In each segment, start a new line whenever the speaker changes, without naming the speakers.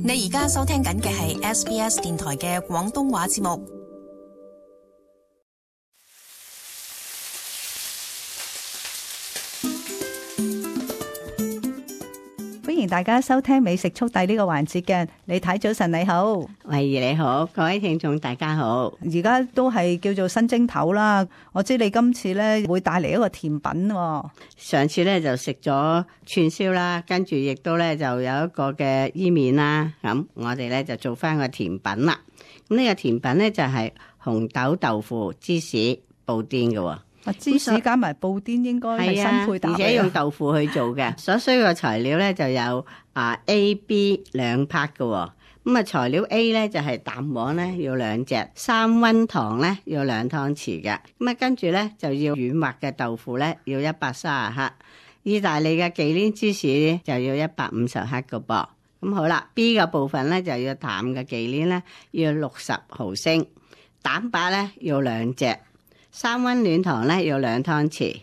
你而家收聽緊嘅係 SBS 電台嘅廣東話節目。
歡迎大家收聽美食速遞呢個環節嘅，李太早晨你好，
慧怡你好，各位聽眾大家好。
而家都係叫做新正頭啦，我知你今次咧會帶嚟一個甜品喎。
上次咧就食咗串燒啦，跟住亦都咧就有一個嘅伊麵啦，咁我哋咧就做翻個甜品啦。咁呢個甜品咧就係紅豆豆腐芝士布甸嘅。
芝士加埋布甸應該係新配搭，
而且用豆腐去做嘅。所需嘅材料咧就有A、B 兩 part 嘅。咁啊材料 A 咧就係蛋黃咧要2隻，三溫糖咧要2湯匙嘅。咁啊跟住咧就要軟滑嘅豆腐咧要130克，意大利嘅忌廉芝士咧就要150克嘅噃。咁好啦 ，B 嘅部分咧就要淡嘅忌廉咧要60毫升，蛋白咧要2隻。三溫暖糖咧要2湯匙，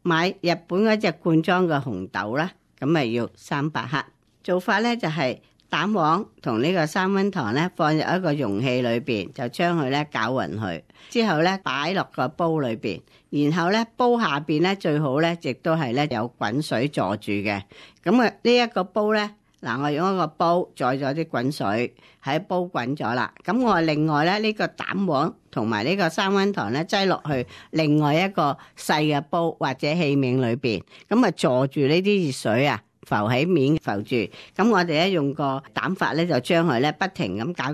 買日本嗰隻罐裝嘅紅豆啦，咁咪要300克。做法咧就係蛋黃同呢個三溫糖咧放入一個容器裏邊，就將佢咧攪勻佢，之後咧擺落個煲裏邊，然後咧煲下邊咧最好咧亦都係咧有滾水坐住嘅。咁啊呢一個煲咧。嗱，我用一個煲載咗啲滾水喺煲滾咗啦，咁我另外咧呢個蛋黃同埋呢個三溫糖咧擠落去另外一個細嘅煲或者器皿裏邊，咁啊坐住呢啲熱水啊浮喺面浮住，咁我哋咧用個蛋法咧就將佢咧不停咁攪，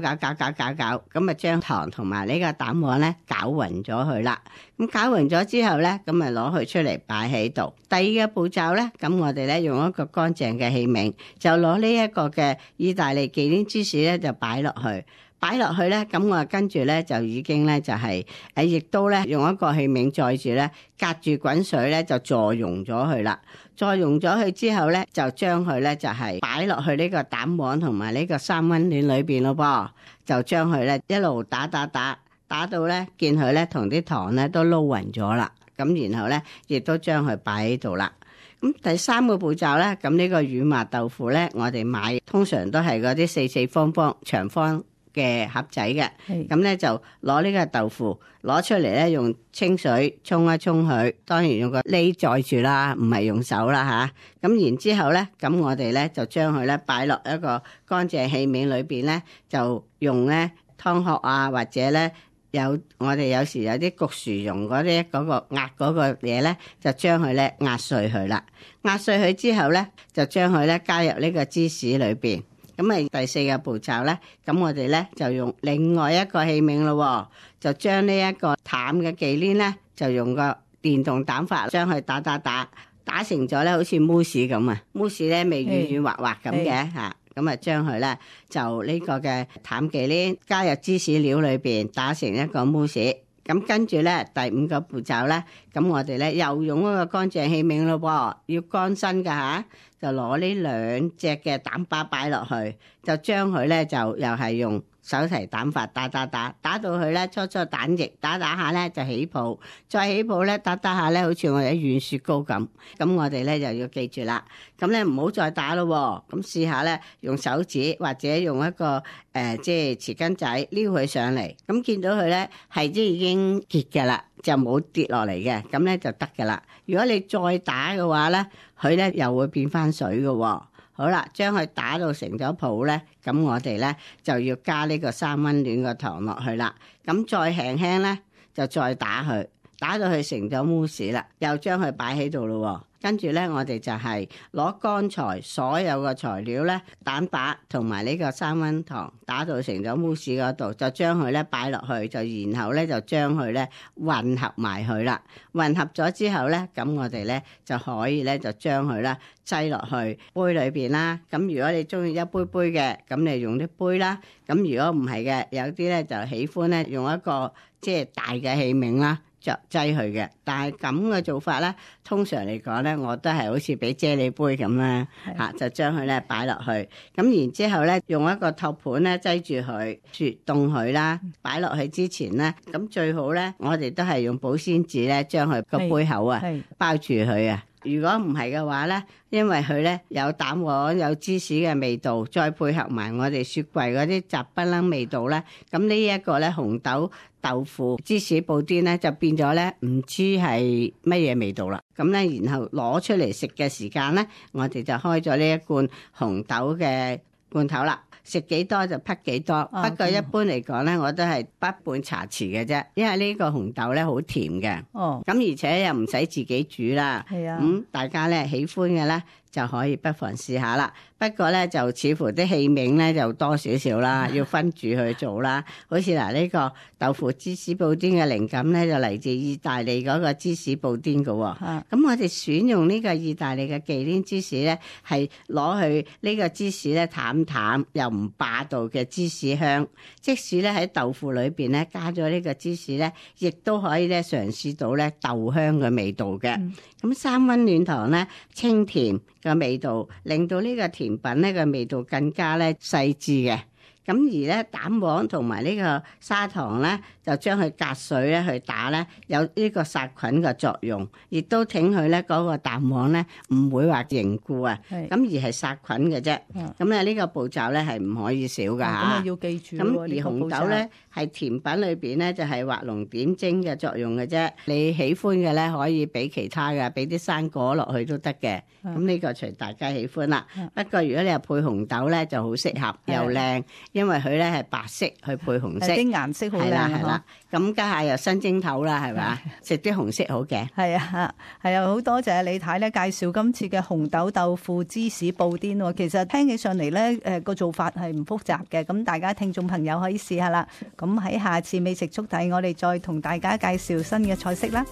咁啊將糖同埋呢個蛋黃咧攪勻咗佢啦。咁攪勻咗之後咧，咁咪攞佢出嚟擺喺度。第二個步驟咧，咁我哋咧用一個乾淨嘅器皿，就攞呢一個嘅意大利忌廉芝士咧就擺落去。擺落去咧，咁我跟住咧就已經咧就係亦都咧用一個器皿載住咧，隔住滾水咧就助溶咗佢啦。助溶咗佢之後咧，就將佢咧就係擺落去呢個蛋黃同埋呢個三溫暖裏邊咯噃，就將佢咧一路打到咧見佢咧同啲糖咧都撈勻咗啦。咁然後咧亦都將佢擺喺度啦。咁第三個步驟咧，咁呢個軟滑豆腐咧，我哋買通常都係嗰啲四方長方嘅盒仔嘅，咁咧就攞呢個豆腐攞出嚟咧，用清水沖一沖佢，當然用個喱載住啦，唔係用手啦嚇。咁然之後咧，咁我哋咧就將佢咧擺落一個乾淨器皿裏邊咧，就用咧湯殼啊，或者咧我哋有時有啲焗薯蓉嗰啲嗰個壓嗰個嘢咧，就將佢咧壓碎佢啦。壓碎佢之後咧，就將佢咧加入呢個芝士裏邊。咁啊，第四個步驟咧，咁我哋咧就用另外一個器皿咯，就將呢一個淡嘅忌廉咧，就用個電動蛋法將佢打成咗咧，好似慕斯咁啊，慕斯咧咪軟軟滑滑咁嘅嚇，咁啊將佢咧就呢個嘅淡忌廉加入芝士料裏邊打成一個慕斯。咁跟住咧第五個步驟咧，咁我哋咧又用嗰個乾淨器皿咯，要乾身㗎嚇，就攞呢2隻嘅蛋白擺落去，就將佢咧就又係用手提蛋法打到佢咧初蛋液打下咧就起泡，再起泡咧打下咧好似我哋軟雪糕咁。咁我哋咧就要記住啦，咁咧唔好再打咯，咁試下咧用手指或者用一個即係匙羹仔撩佢上嚟，咁見到佢咧係即係已經結㗎啦，就冇跌落嚟嘅，咁咧就得㗎啦。如果你再打嘅話咧，佢咧又會變翻水嘅。好啦，將佢打到成咗泡咧，咁我哋咧就要加呢個三溫暖個糖落去啦。咁再輕輕咧就再打佢，打到佢成咗慕斯啦，又將佢擺喺度咯。跟住咧，我哋就係攞剛才所有嘅材料咧，蛋白同埋呢個三溫糖打到成咗慕斯嗰度，就將佢咧擺落去，就然後咧就將佢咧混合埋佢啦。混合咗之後咧，咁我哋咧就可以咧就將佢咧擠落去杯裏邊啦。咁如果你中意一杯杯嘅，咁你用啲杯啦。咁如果唔係嘅，有啲咧就喜歡咧用一個即係大嘅器皿啦。就擠佢嘅，但係咁嘅做法咧，通常嚟講咧，我都係好似俾啫喱杯咁啦，就將佢咧擺落去，咁然之後咧，用一個托盤咧擠住佢，雪凍佢啦，擺落去之前咧，咁最好咧，我哋都係用保鮮紙咧，將佢個杯口啊包住佢啊。如果唔係嘅話咧，因為佢咧有蛋黃有芝士嘅味道，再配合埋我哋雪櫃嗰啲雜不楞味道咧，咁呢一個咧紅豆豆腐芝士布甸咧就變咗咧唔知係乜嘢味道啦。咁咧然後攞出嚟食嘅時間咧，我哋就開咗呢一罐紅豆嘅罐頭啦。食幾多就滗幾多，不過一般嚟講咧，我都係滗半茶匙嘅啫，因為呢個紅豆咧好甜嘅。咁而且又唔使自己煮啦。係啊，大家咧喜歡嘅咧就可以不妨試下啦。不過咧就似乎啲器皿咧就多少少啦，要分住去做啦。好似嗱呢個豆腐芝士布甸嘅靈感咧就嚟自意大利嗰個芝士布甸嘅喎。咁我哋選用呢個意大利嘅忌廉芝士咧，係攞去呢個芝士咧淡淡又唔霸道嘅芝士香。即使咧喺豆腐裏邊咧加咗呢個芝士咧，亦都可以咧嘗試到咧豆香嘅味道嘅。咁三溫暖糖咧清甜嘅味道，令到呢個甜品咧個味道更加咧細緻嘅。咁而咧蛋黃同埋呢個砂糖咧，就將佢隔水咧去打咧，有呢個殺菌嘅作用，亦都挺佢咧嗰個蛋黃咧唔會話凝固啊，咁而係殺菌嘅啫。咁咧呢個步驟咧係唔可以少㗎嚇。咁啊
要記住。
咁而紅豆咧係甜品裏邊咧就係畫龍點睛嘅作用嘅啫。你喜歡嘅咧可以俾其他嘅，俾啲生果落去都得嘅。咁呢個隨大家喜歡啦。不過如果你係配紅豆咧就好適合又靚。因為佢咧係白色去配紅色，
啲顏色好靚。
係啦，咁家下又新蒸頭啦，係咪？食啲紅色好嘅。
係啊，係啊，好多謝李太咧介紹今次嘅紅豆豆腐芝士布甸喎。其實聽起上嚟咧，個做法係唔複雜嘅。咁大家聽眾朋友可以試下啦。咁喺下次美食速遞，我哋再同大家介紹新嘅菜式啦。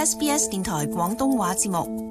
SBS 電台廣東話節目